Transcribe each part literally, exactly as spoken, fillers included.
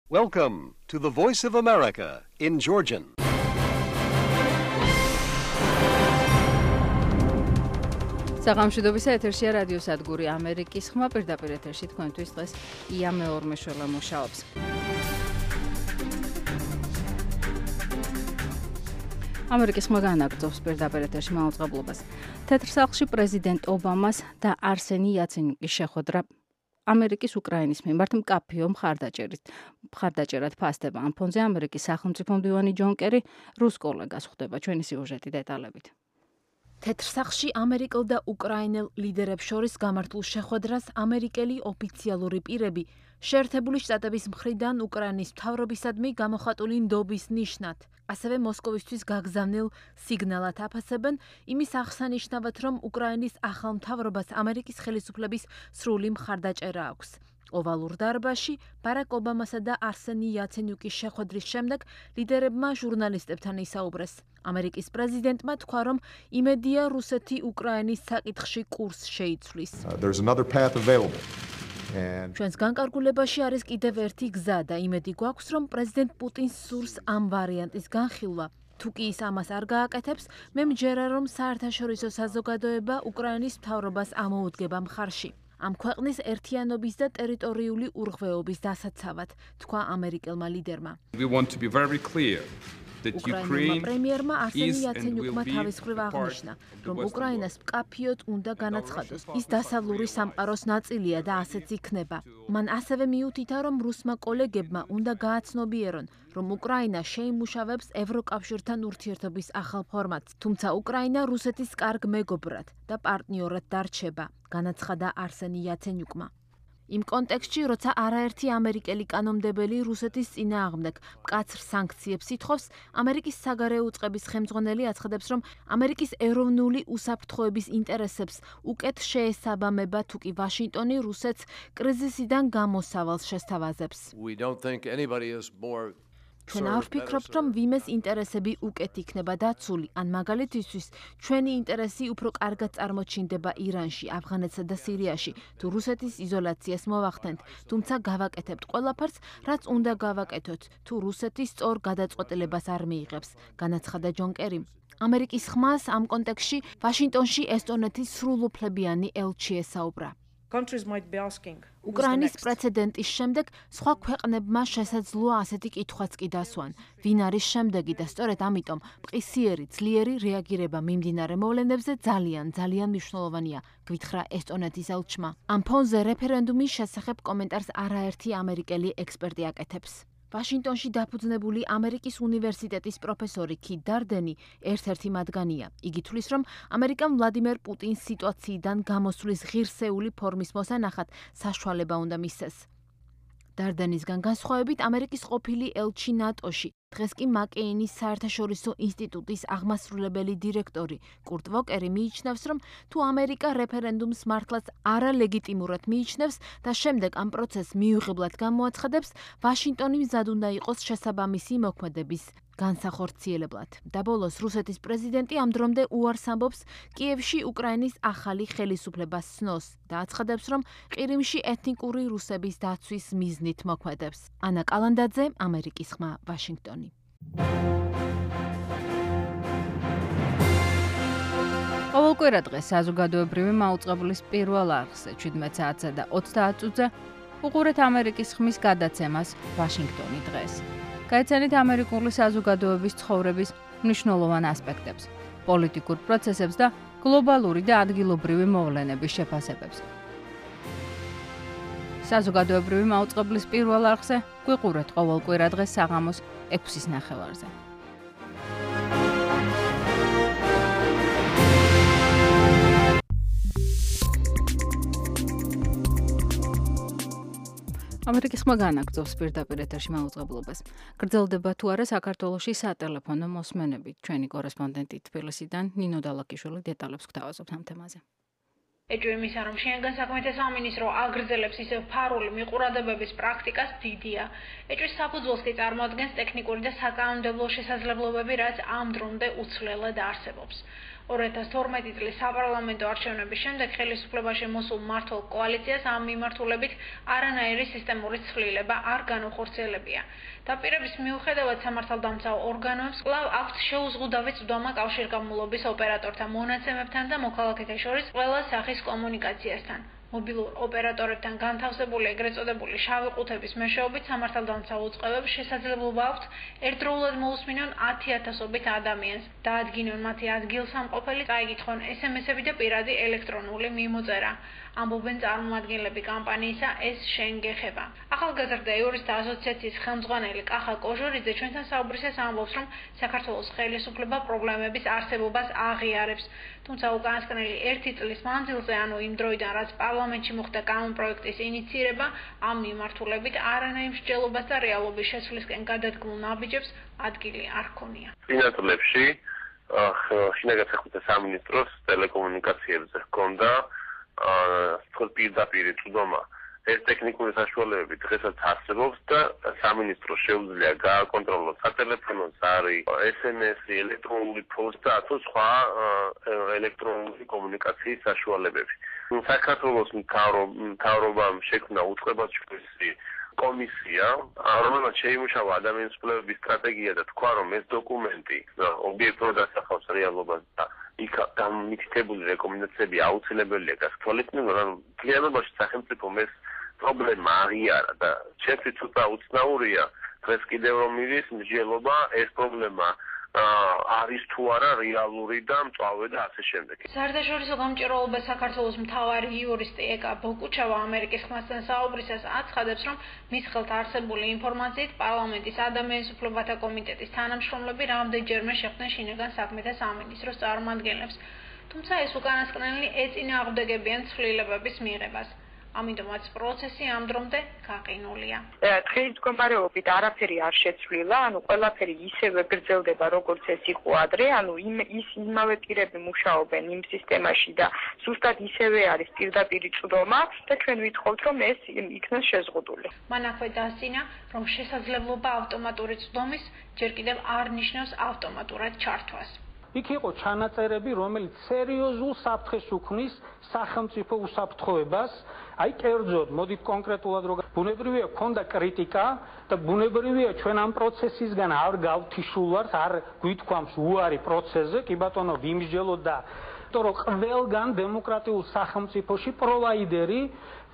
Welcome to the Voice of America in Georgian. საღამოშიდობის ეთერშია რადიო სადგური ამერიკის ხმა პირდაპირ ეთერში თქვენთვის დღეს ია მეორმეშველა მუშაობს. ამერიკის ხმა განაგრძობს პირდაპირ ეთერში მაუწყებლობას. თეთრ სახლში პრეზიდენტ ობამას და არსენი იაცენიუკის შეხვედრა ამერიკის უკრაინის მიმართ მკაფიო მხარდაჭერით მხარდაჭერად ფასდება. ამ ფონზე ამერიკის სახელმწიფო მდივანი ჯონ კერი რუს კოლეგას ხვდება. ჩვენი სიუჟეტი დეტალებით. თეთრ სახლში ამერიკელ და უკრაინელ ლიდერებს შორის გამართულ შეხვედრას ამერიკელი ოფიციალური პირები შეერთებული შტატების მხრიდან უკრაინის მთავრობისადმი გამოხატული ნდობის ნიშნად, ასევე მოსკოვისთვის გაგზავნილ სიგნალად აფასებენ იმის აღსანიშნავად, რომ უკრაინის ახალ მთავრობას ამერიკის ხელისუფლების სრული მხარდაჭერა აქვს. ოვალურ დარბაზში ბარაკ ობამასა და არსენი იაცენიუკის შეხვედრის შემდეგ ლიდერებმა ჟურნალისტებთან ისაუბრეს. ამერიკის პრეზიდენტმა თქვა, რომ იმედია რუსეთი უკრაინის საკითხში კურსს შეიცვლის. ჩვენს განკარგულებაში არის კიდევ ერთი გზა და იმედი გვაქვს, რომ პრეზიდენტ პუტინს სურს ამ ვარიანტის განხილვა. თუ კი ის ამას არ გააკეთებს, მე მჯერა, რომ საერთაშორისო საზოგადოება უკრაინის მთავრობას ამოუდგება მხარში. ამ ქვეყნის ერთიანობის და ტერიტორიული უღრღვეობის დასაცავად, თქვა ამერიკელმა ლიდერმა. უკრაინელმა პრემიერმა არსენი იაცენიუკმა თავის მხრივ აღნიშნა, რომ უკრაინას მკაფიოდ უნდა განაცხადოს, ის დასავლური სამყაროს ნაწილია და ასეც იქნება. მან ასევე მიუთითა, რომ რუსმა კოლეგებმა უნდა გააცნობიერონ, რომ უკრაინა შეიმუშავებს ევროკავშირთან ურთიერთობის ახალ ფორმატს, თუმცა უკრაინა რუსეთის კარგ მეგობრად და პარტნიორად დარჩება, განაცხადა არსენი იაცენიუკმა. იმ კონტექსტში, როცა არაერთი ამერიკელი კანონმდებელი რუსეთის წინააღმდეგ მკაცრ სანქციებს ითხოვს, ამერიკის საგარეო უწყების ხელმძღვანელი აცხადებს, რომ ამერიკის ეროვნული უსაფრთხოების ინტერესებს უკეთ შეესაბამება, თუ კი ვაშინგტონი რუსეთს კრიზისიდან გამოსავალს შესთავაზებს. ჩვენ არ ვფიქრობთ, რომ ვიმეს ინტერესები უკეთ იქნება დაცული, ან მაგალითისთვის ჩვენი ინტერესი უფრო კარგად წარმოჩინდება ირანში, ავღანეთსა და სირიაში, თუ რუსეთის იზოლაციას მოვახდენთ, თუმცა გავაკეთებთ ყველაფერს, რაც უნდა გავაკეთოთ, თუ რუსეთი სწორ გადაწყვეტილებას არ მიიღებს, განაცხადა ჯონ კერიმ. ამერიკის ხმას ამ კონტექსტში ვაშინგტონში ესტონეთის სრულუფლებიანი ელჩი ესაუბრა. უკრაინის პრეცედენტის შემდეგ სხვა ქვეყნებმა შესაძლოა ასეთი კითხვაც კი დასვან. ვინ არის შემდეგი და სწორედ ამიტომ მყისიერი, ძლიერი რეაგირება მიმდინარე მოვლენებზე ძალიან, ძალიან მნიშვნელოვანია, გვითხრა ესტონეთის ელჩმა. ამ ფონზე რეფერენდუმის შესახებ კომენტარს არაერთი ამერიკელი ექსპერტი აკეთებს. ვაშინგტონში დაფუძნებული ამერიკის უნივერსიტეტის პროფესორი კით დარდენი ერთ-ერთი მათგანია. იგი თვლის, რომ ამერიკამ ვლადიმერ პუტინს სიტუაციიდან გამოსვლის ღირსეული ფორმის მოსანახად საშუალება უნდა მისცეს. დარდენისგან განსხვავებით, ამერიკის ყოფილი ელჩი ნატოში, დღეს კი მაკეინის საერთაშორისო ინსტიტუტის აღმასრულებელი დირექტორი კურტ ვოკერი მიიჩნევს, რომ თუ ამერიკა რეფერენდუმს მართლაც არალეგიტიმურად მიიჩნევს და შემდეგ ამ პროცესს მიუღებლად გამოაცხადებს, ვაშინგტონი მზად უნდა იყოს შესაბამისი მოქმედების განსახორციელებლად. და ბოლოს რუსეთის პრეზიდენტი ამ დრომდე უარს ამბობს კიევში უკრაინის ახალი ხელისუფლებას სნოს და აცხადებს, რომ ყირიმში ეთნიკური რუსების დაცვის მიზნით მოქმედებს. ანა კალანდაძე, ამერიკის ხმა, ვაშინგტონი. ყოველკვირა დღეს საზოგადოებრივი მაუწყებლის პირველ არხზე ჩვიდმეტ საათსა და ოცდაათ წუთზე უყურეთ ამერიკის ხმის გადაცემას ვაშინგტონი დღეს. გაიცანით ამერიკული საზოგადოების ცხოვრების მნიშვნელოვან ასპექტებს, პოლიტიკურ პროცესებს და გლობალური და ადგილობრივი მოვლენების შეფასებებს. საზოგადოებრივი მაუწყებლის პირველ არხზე გვიყურეთ ყოველკვირა დღეს საღამოს ექვსის ნახევარზე. ამერიკის ხმა განაგრძობს პირდაპირ ეთერში მაუწყებლობას. გრძელდება თუ არა საქართველოში სატელეფონო მოსმენები. ჩვენი კორესპონდენტი თბილისიდან ნინო დალაკიშვილი დეტალებს გვთავაზობთ ამ თემაზე. ეჭვი იმისა, რომ შინაგან საქმეთა სამინისტრო აგრძელებს ისევ ფარული მიყურადებების პრაქტიკას დიდია. ეჭვის საფუძველს კი წარმოადგენს ტექნიკური და საკანონმდებლო შესაძლებლობები, რაც ამ დრომდე უცვლელად არსებობს. ორი ათას თორმეტი წლის საპარლამენტო არჩევნების შემდეგ ხელისუფლებაში მოსულ მმართველ კოალიციას ამ მიმართულებით არანაირი სისტემური ცვლილება არ განუხორციელებია. დაპირების მიუხედავად სამართალდამცავ ორგანოებს კვლავ აქვთ შეუზღუდავი წვდომა კავშირგაბმულობის ოპერატორთა მონაცემებთან და მოქალაქეთა შორის ყველა სახის კომუნიკაციასთან. მობილურ ოპერატორებთან განთავსებული ეგრეთ წოდებული შავი ყუთების მეშვეობით სამართალდამცავ უწყებებს შესაძლებლობა აქვთ ერთდროულად მოусმინონ ათი ათასობით ადამიანს, დაადგინონ მათი ადგილსამყოფელი, წაიკითხონ ესემესები და პირადი ელექტრონული მიმოწერა. ამბობენ წარმომადგენლები კამპანიისა ეს შენ გეხება. ახალგაზრდა იურისტთა ასოციაციის ხელმძღვანელი კახა კოჟორიძე ჩვენთან საუბრისას ამბობს, რომ საქართველოს ხელისუფლება პრობლემების არსებობას აღიარებს. თუმცა უკანასკნელი ერთი წლის მანძილზე, ანუ იმ დროიდან, რაც პარლამენტში მოხდა კანონპროექტის ინიცირება, ამ მიმართულებით არანაირ მსჯელობას და რეალობის შეცვლისკენ გადადგმულ ნაბიჯებს ადგილი არ ჰქონია. წინა წლებში შინაგან საქმეთა სამინისტროს ტელეკომუნიკაციებზე ჰქონდა პირდაპირ წვდომა. ეს ტექნიკური საშუალებები დღესაც არსებობს და სამინისტროს შეუძლია გააკონტროლოს სატელეფონო ზარი, ეს ემ ესი, ელექტრონული პოსტა თუ სხვა ელექტრონული კომუნიკაციის საშუალებები. საქართველოს მთავრობამ შექმნა უწყებასშორისი კომისია, რომელმაც შეიმუშავა ადამიანის უფლებების სტრატეგია და თქვა, რომ ეს დოკუმენტი ობიექტურად ასახავს რეალობას და იქ დამტკიცებული რეკომენდაციები აუცილებელია გასათვალისწინებელად, რომ მთლიანობაში სახელმწიფომ ეს პრობლემა აღიარა და ჩემთვის ცოტა უცნაურია დღეს კიდევ რომ მიდის მსჯელობა ეს პრობლემა არის თუ არა რეალური და მწვავე და ასე შემდეგ. საერთაშორისო გამჭირვალობა საქართველოს მთავარი იურისტი ეკა ბოკუჩავა ამერიკის ხმასთან საუბრისას აცხადებს, რომ მის ხელთ არსებული ინფორმაციით პარლამენტის ადამიანის უფლებათა კომიტეტის თანამშრომლები რამდენჯერმე შეხვდნენ შინაგან საქმეთა სამინისტროს წარმომადგენლებს, თუმცა ეს უკანასკნელი ეწინააღმდეგებიან ცვლილებების მიღებას. ამიტომაც პროცესი ამ დრომდე გაყინულია. დღის მდგომარეობით არაფერი არ შეცვლილა, ანუ ყველაფერი ისევე გრძელდება, როგორც ეს იყო ადრე, ანუ ის იმავე პირები მუშაობენ იმ სისტემაში და ზუსტად ისევე არის პირდაპირი წვდომა და ჩვენ ვითხოვთ, რომ ეს იქნას შეზღუდული. მან აქვე დასძინა, რომ შესაძლებლობა ავტომატური წვდომის ჯერ კიდევ არ ნიშნავს ავტომატურად ჩართვას. იქ იყო ჩანაწერები, რომელიც სერიოზულ საფრთხეს უქმნის სახელმწიფო უსაფრთხოებას. აი კერძოდ, მოდით კონკრეტულად რო ბუნებრივია ქონდა კრიტიკა და ბუნებრივია ჩვენ ამ პროცესისგან არ გავთიშულვართ, არ გვითქვამს უარი პროცესზე, კი ბატონო ვიმსჯელოთ და რომ ყველგან დემოკრატიულ სახელმწიფოში პროვაიდერი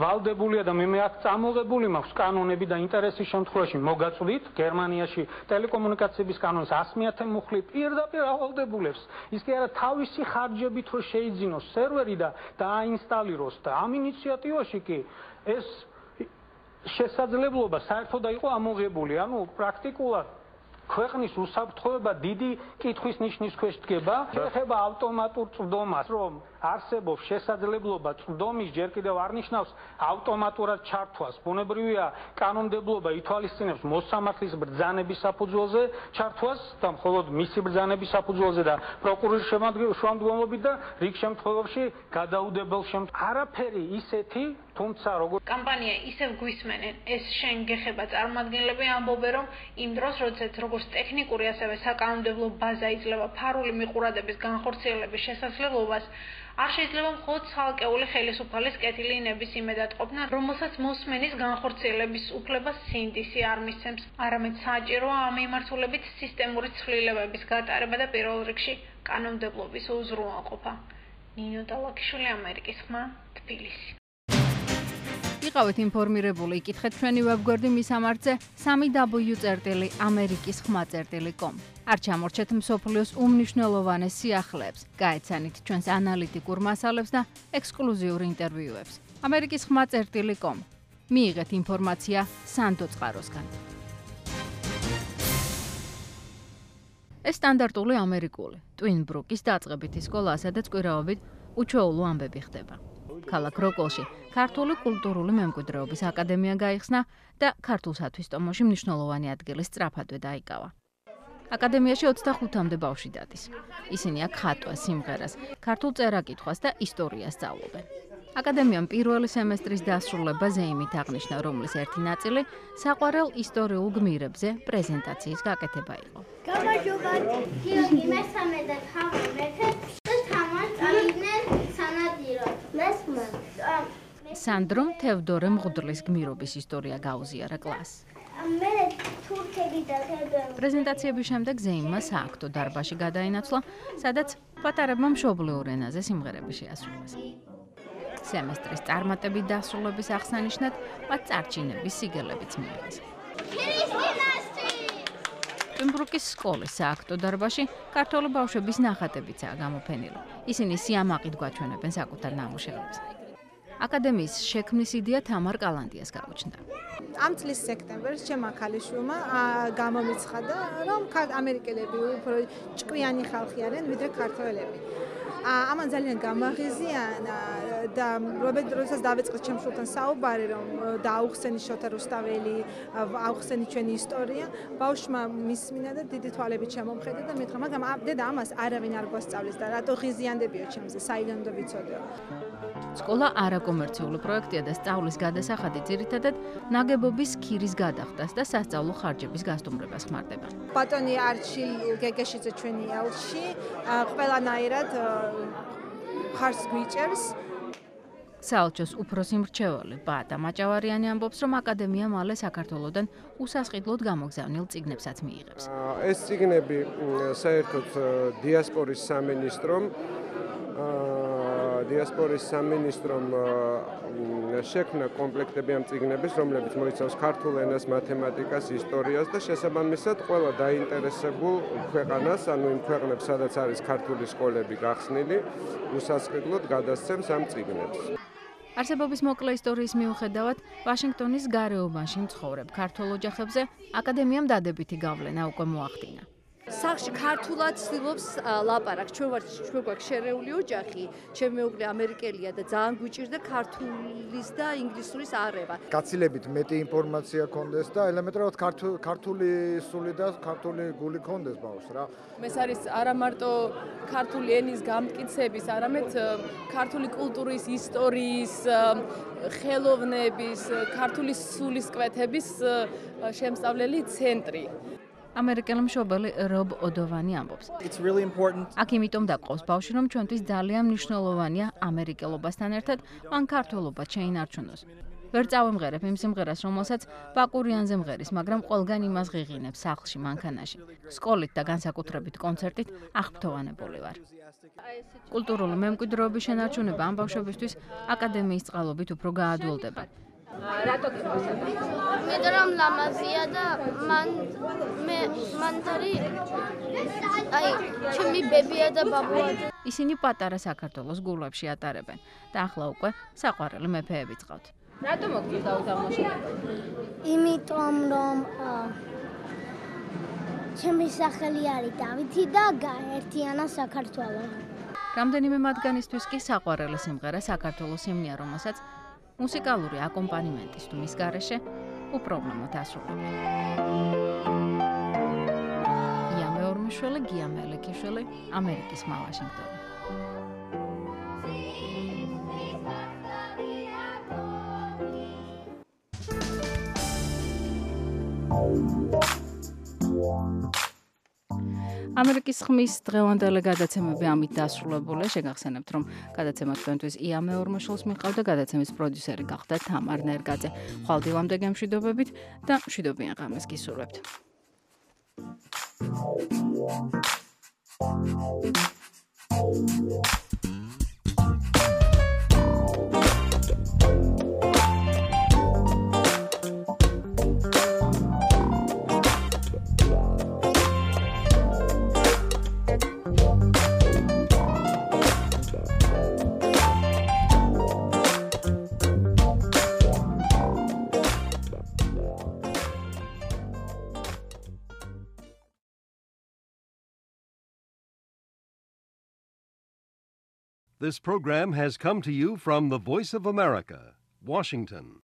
ვალდებულია და მე მე აქ წამოღებული მაქვს კანონები და ინტერესის შემთხვევაში მოგაწვდით გერმანიაში ტელეკომუნიკაციების კანონს ას მეათე მუხლი პირდაპირ ავალდებულებს ის კი არა თავისი ხარჯებით რო შეიძინოს სერვერი და დააინსტალიროს და ამ ინიციატივაში კი ეს შესაძლებლობა საერთოდ იყო ამოღებული ანუ პრაქტიკულად ქვეყნის უსაფრთხოება დიდი კითხვის ნიშნის ქვეშ დგება. ეხება ავტომატურ წვდომას, რომ არსებობს შესაძლებლობა წვდომის ჯერ კიდევ არ ნიშნავს ავტომატურად ჩართვას. ბუნებრივია კანონმდებლობა ითვალისწინებს მოსამართლის ბრძანების საფუძველზე ჩართვას და მხოლოდ მისი ბრძანების საფუძველზე და პროკურორის შემადგენლობით და რიგ შემთხვევებში გადაუდებელ შემთხვევაში. არაფერი ისეთი თუმცა როგორ კამპანია ისევ გვისმენენ ეს შენ გეხება წარმომადგენლები ამბობენ რომ იმ დროს როდესაც როგორც ტექნიკური ასევე საკანონმდებლო ბაზა იძლევა ფარული მიყურადების განხორციელების შესაძლებლობას არ შეიძლება მხოლოდ ცალკეული ხელისუფლის კეთილი ნებისმიერ ყოფნა რომელსაც მოსმენის განხორციელების უფლებას სინდისი არ მისცემს არამედ საჭიროა ამ მიმართულებით სისტემური ცვლილებების გატარება და პირველ რიგში კანონმდებლობის უზრუნველყოფა. ნინო დალაკიშვილი ამერიკის ხმა თბილისი. იყავით ინფორმირებული, იკითხეთ ჩვენი ვებგვერდი მისამართზე სამი დაბლიუ წერტილი ამერიკის ხმა წერტილი კომ. არ ჩამორჩეთ მსოფლიოს უმნიშვნელოვანეს სიახლეებს, გაეცანით ჩვენს ანალიტიკურ მასალებს და ექსკლუზიურ ინტერვიუებს. ამერიკის ხმა წერტილი კომ. მიიღეთ ინფორმაცია სანდო წყაროსგან. ეს სტანდარტული ამერიკული ტვინ ბრუკის დაწყებითი სკოლა, სადაც კვირაობით უჩვეულო ამბები ხდება. ქალაქ როკოლში ქართული კულტურული მემკვიდრეობის აკადემია გაიხსნა და ქართულსათვის ტომოში მნიშვნელოვანი ადგილი სწრაფადვე დაიკავა. აკადემიაში ოცდახუთამდე ბავშვი დადის. ისინი აქ ხატვას, სიმღერას, ქართულ წერა-კითხვას და ისტორიას სწავლობენ. აკადემიამ პირველი სემესტრის დასრულებაზე იმით აღნიშნა, რომლის ერთი ნაწილი საყვარელ ისტორიულ გმირებზე პრეზენტაციის გაკეთება იყო. გამარჯობა. გიორგი მესამე და თავი მეფე და სანდრომ თევდორე მღვდლის გმირობის ისტორია გაუზიარა კლასს. პრეზენტაციების შემდეგ ზეიმმა სააქტო დარბაზში გადაინაცვლა, სადაც პატარებმა მშობლიურ ენაზე სიმღერები შეასრულეს. სემესტრის წარმატებით დასრულების აღსანიშნად მათ წარჩინების სიგელებიც მიიღეს. პემბრუკის სკოლის სააქტო დარბაზში ქართველი ბავშვების ნახატებიცაა გამოფენილი. ისინი სიამაყით გვაჩვენებენ საკუთარ ნამუშევრებს. აკადემიის შექმნის იდეა თამარ კალანდიას გაუჩნდა. ამ წლის სექტემბერს ჩემმა ქალიშვილმა გამომიცხადა, რომ ამერიკელები უფრო ჭკვიანი ხალხი არიან, ვიდრე ქართველები. ამან ძალიან გამაღიზიანა და როდესაც დავიწყეთ ჩემ შვილთან საუბარი, რომ დააუხსენი შოთა რუსტაველი, აუხსენი ჩვენი ისტორია, ბავშვმა მისმინა და დიდი თვალებით შემომხედა და მითხრა, მაგრამ დედა ამას არავინ არ გვასწავლის და რატო ღიზიანდებიო ჩემზე, საიდან უნდა ვიცოდეო. სკოლა არაკომერციული პროექტია და სწავლის გადასახადი ძირითადად ნაგებობის ქირის გადახდას და სასწავლო ხარჯების გასტუმრებას ხმარდება. ბატონი არჩილ გეგეშიძე ჩვენი ელჩი ყველანაირად ხარს გვიჭერს. საელჩოს უფროსი მრჩეველი ბატა მაჭავარიანი ამბობს, რომ აკადემია მალე საქართველოდან უსასყიდლოდ გამოგზავნილ წიგნებსაც მიიღებს. ეს წიგნები საერთოდ დიასპორის სამინისტრომ დიასპორის სამინისტრომ შექმნა კომპლექტები ამ წიგნების, რომლებიც მოიცავს ქართულ ენას, მათემატიკას, ისტორიას და შესაბამისად ყველა დაინტერესებულ ქვეყანას, ანუ იმ ქვეყნებს, სადაც არის ქართული სკოლები გახსნილი, უსასყიდლოდ გადასცემს ამ წიგნებს. არსებობის მოკლე ისტორიის მიუხედავად, ვაშინგტონის გარეუბანში მცხოვრებ ქართველ ოჯახებზე აკადემიამ დადებითი გავლენა უკვე მოახდინა. სახში ქართულად ცდილობს ლაპარაკს. ჩვენ ვართ ჩვენ გვაქვს შერეული ოჯახი, ჩემი მეუღლე ამერიკელია და ძალიან გვიჭირდა ქართულის და ინგლისურის არევა. გაცილებით მეტი ინფორმაცია კონდეს და ელემენტარულად ქართული სული და ქართული გული კონდეს ბავშვს რა. ეს არის არა მარტო ქართული ენის გამტკიცების, არამედ ქართული კულტურის, ისტორიის, ხელოვნების, ქართული სულისკვეთების შემსწავლელი ცენტრი. ამერიკელი მშობელი რობ ოდოვანი ამბობს. აქ იმიტომ დაყავს ბავშვი, რომ ჩვენთვის ძალიან მნიშვნელოვანია ამერიკელობასთან ერთად მან ქართველობა შეინარჩუნოს. ვერ წავემღერებ იმ სიმღერას, რომელსაც ბაკურიანზე მღერის, მაგრამ ყველგან იმას ღიღინებს სახლში, მანქანაში. სკოლით და განსაკუთრებით კონცერტით აღფრთოვანებული ვარ. კულტურული მემკვიდრეობის შენარჩუნება ამ ბავშვებისთვის აკადემიის წყალობით უფრო გაადვილდება. რატო გიხსენებ? მე რომ ლამაზია და მან მე მანდარი აი ჩემი ბებია და ბაბუა. ისინი პატარა საქართველოს გულებში ატარებენ და ახლა უკვე საყვარელი მეფეები წავთ. რატო მოგწევს დაუთამაშოთ? იმიტომ რომ ჩემი სახელი არის დავითი და გაერთიანა საქართველო. რამდენიმე მათგანისთვის კი საყვარელი სიმღერა საქართველოს ჰიმნია, რომელსაც მუსიკალური აკომპანიმენტის თუ მის გარეშე უპრობლემოდ ასრულებენ. ია მეორმიშვილი, გია მელიქიშვილი, ამერიკის ხმა ვაშინგტონი. ამერიკის ხმის დღევანდელი გადაცემები ამით დასრულებულია. შეგახსენებთ, რომ გადაცემა თქვენთვის ია მეორმიშვილს მიჰყავდა, გადაცემის პროდიუსერი გახდა თამარ ნერგაძე. ხვალდილამდე გემშვიდობებით და მშვიდობიან ღამეს გისურვებთ. This program has come to you from the Voice of America, Washington.